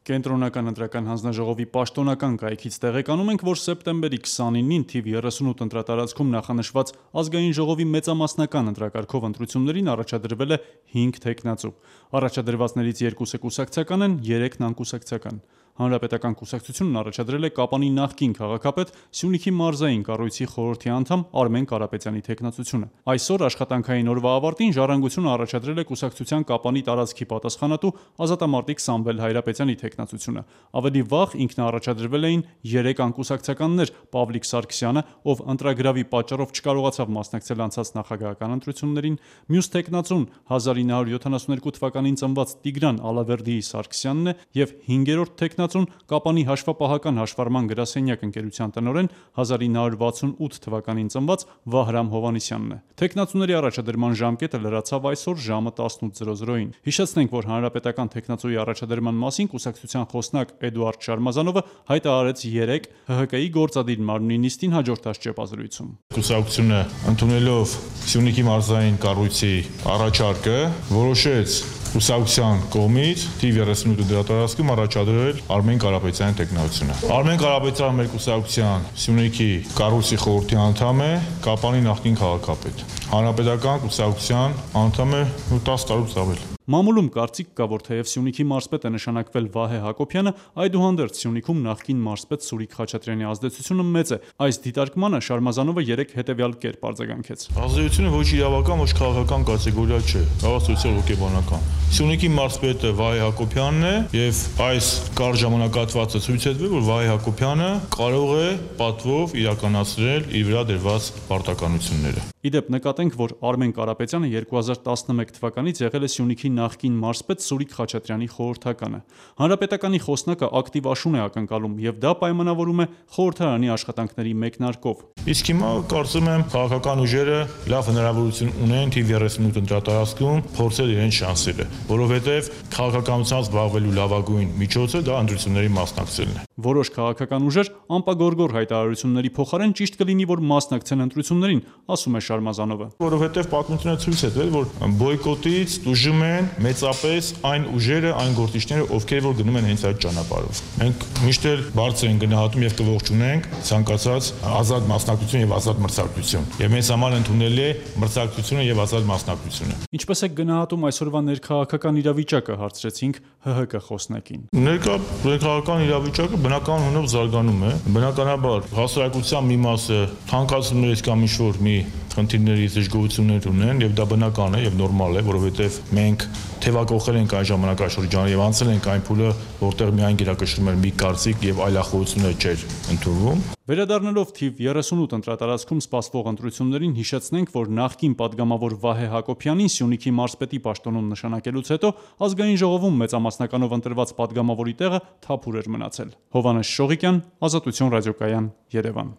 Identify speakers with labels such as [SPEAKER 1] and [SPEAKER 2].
[SPEAKER 1] Կենտրոնական ընտրական հանձնաժողովի պաշտոնական կայքից տեղեկանում ենք, որ սեպտեմբերի 29-ին թիվ 38 ընտրատարածքում նախանշված ազգային ժողովի մեծամասնական ընտրակարգով ընտրություններին առաջադրվել է 5 թեկնածու։ Առաջադրվածներից 2-ը կուսակցական են, 3-ն անկուսակցական։ Հանրապետական կուսակցությունն առաջադրել է Կապանի նախկին քաղաքապետ, Սյունիքի մարզային կառույցի խորհրդի անդամ Արմեն Կարապետյանի թեկնածությունը։ Այսօր աշխատանքային օրվա ավարտին Ժառանգությունը առաջադրել է կուսակցության Կապանի տարածքի պատասխանատու ազատամարտիկ Սամվել Հայրապետյանի թեկնածությունը։ Ավելի վաղ ինքնաառաջադրվել էին 3 անկուսակցականներ՝ Պավլիկ Սարգսյանը, ով ընտրագրավի պատճառով չկարողացավ մասնակցել անցած նախագահական ընտրություններին, մյուս թեկնածուն 1972 թվականին ծնված Տիգրան Ալավերդիի Սարգսյանն է և 5-րդ թեկնածուն Կապանի հաշվապահական հաշվառման գրասենյակ ընկերության տնօրեն 1968 թվականին ծնված Վահրամ Հովհաննիսյանն է։ Թեկնածուների առաջադրման ժամկետը լրացավ այսօր ժամը 18:00-ին։ Հիշեցնենք, որ հանրապետական թեկնածուի առաջադրման մասին կուսակցության խոսնակ Էդուարդ Շարմազանովը հայտարարեց 3 ՀՀԿ-ի գործադիր մարմնի նիստին հաջորդած ճեպազրույցում։
[SPEAKER 2] Կուսակցությունը ընդունելով Սյունիքի մարզային կառույցի առաջարկը որոշեց կուսակցության կողմից թիվ 38 դրատարածքում առաջադրել Արմեն Կարապետյանի տեխնացությունը։ Արմեն Կարապետյանը մեր կուսակցության Սյունիքի կառույցի խորհրդի անդամ է, Կապանի նախկին քաղաքապետ։ Հանրապետական կուսակցության անդամ է 10 տարուց ավել։
[SPEAKER 1] Մամուլում կարծիք կա, որ թեև Սյունիքի մարզպետ է նշանակվել Վահե Հակոբյանը, այդուհանդերձ Սյունիքում նախկին մարզպետ Սուրիկ Խաչատրյանի ազդեցությունը մեծ է։ Այս դիտարկմանը Շարմազանովը 3 հետևյալ կերպ արձագանքեց։
[SPEAKER 2] Ազդեցությունը ոչ իրավական, ոչ քաղաքական կատեգորիա չէ, հավաստիության հոգեբանական։ Սյունիքի մարզպետը Վահե Հակոբյանն է եւ այս կարճ ժամանակահատվածը ցույց է տվել, որ Վահե Հակոբյանը կարող է պատվով իրականացնել իր վրա դրված պարտականությունները։
[SPEAKER 1] Իդեպ նկատենք, որ Արմեն Կարապետյանը 2011 թվականից եղել է Սյունիքի նախկին մարզպետ Սուրիկ Խաչատրյանի խորհրդականը։ Հանրապետականի խոսնակը ակտիվ աշուն է ակնկալում եւ դա պայմանավորում է խորհրդարանի աշխատանքների մեկնարկով։
[SPEAKER 2] Իսկ հիմա կարծում եմ քաղաքական ուժերը լավ հնարավորություն ունեն թիվ 38 ընտրատարածքում փորձել իրենց շանսերը, որովհետեւ քաղաքականությամբ զբաղվելու լավագույն միջոցը դա ընտրությունների մասնակցելն է։
[SPEAKER 1] Որոշ քաղաքական ուժեր անպագորգոր հայտարարությունների փոխարեն ճիշտ կլինի, որ մասնակցեն ընտրություններին, ասում է Շարմազանովը։
[SPEAKER 2] Որովհետև պատմությունը ցույց է տվել, որ բոյկոտից տուժում են մեծապես այն ուժերը, այն գործիչները, ովքեր որ գնում են հենց այդ ճանապարհով։ Մենք միշտ էլ բարձր ենք գնահատում եւ կողջունենք ցանկացած ազատ մասնակցություն եւ ազատ մրցակցություն։ Եվ մեզ համար ընդունելի է մրցակցությունը եւ ազատ մասնակցությունը։
[SPEAKER 1] Ինչպես է գնահատում այսօրվա ներքաղաքական իրավիճակը, հարցրեցինք ՀՀԿ խոսնակին։
[SPEAKER 2] Ներքաղաքական իրավիճակը բնականաբար զարգանում է։ Բնականաբար հասարակության մի մասը թանկացումներից կամ ինչ-որ մի խնդիրներից դժգոհություններ ունեն եւ դա բնական է եւ նորմալ է, որովհետեւ մենք թեվակողել ենք այն ժամանակաշրջանը եւ անցել ենք այն փուլը, որտեղ միայն գերակշռում էր մի կարծիք եւ այլախոհությունը չէր ընդունվում։
[SPEAKER 1] Վերադառնալով թիվ 38 ընտրատարածքում սպասվող ընտրություններին հիշեցնենք, որ նախկին падգամավոր Վահե Հակոբյանին Սյունիքի մարզպետի պաշտոնում նշանակելուց հետո ազգային ժողովում մեծամասնականով ընտրված падգամավորի տեղը թափուր էր մնացել։ Հովհաննես Շողիկյան, Ազատություն ռադիոկայան, Երևան։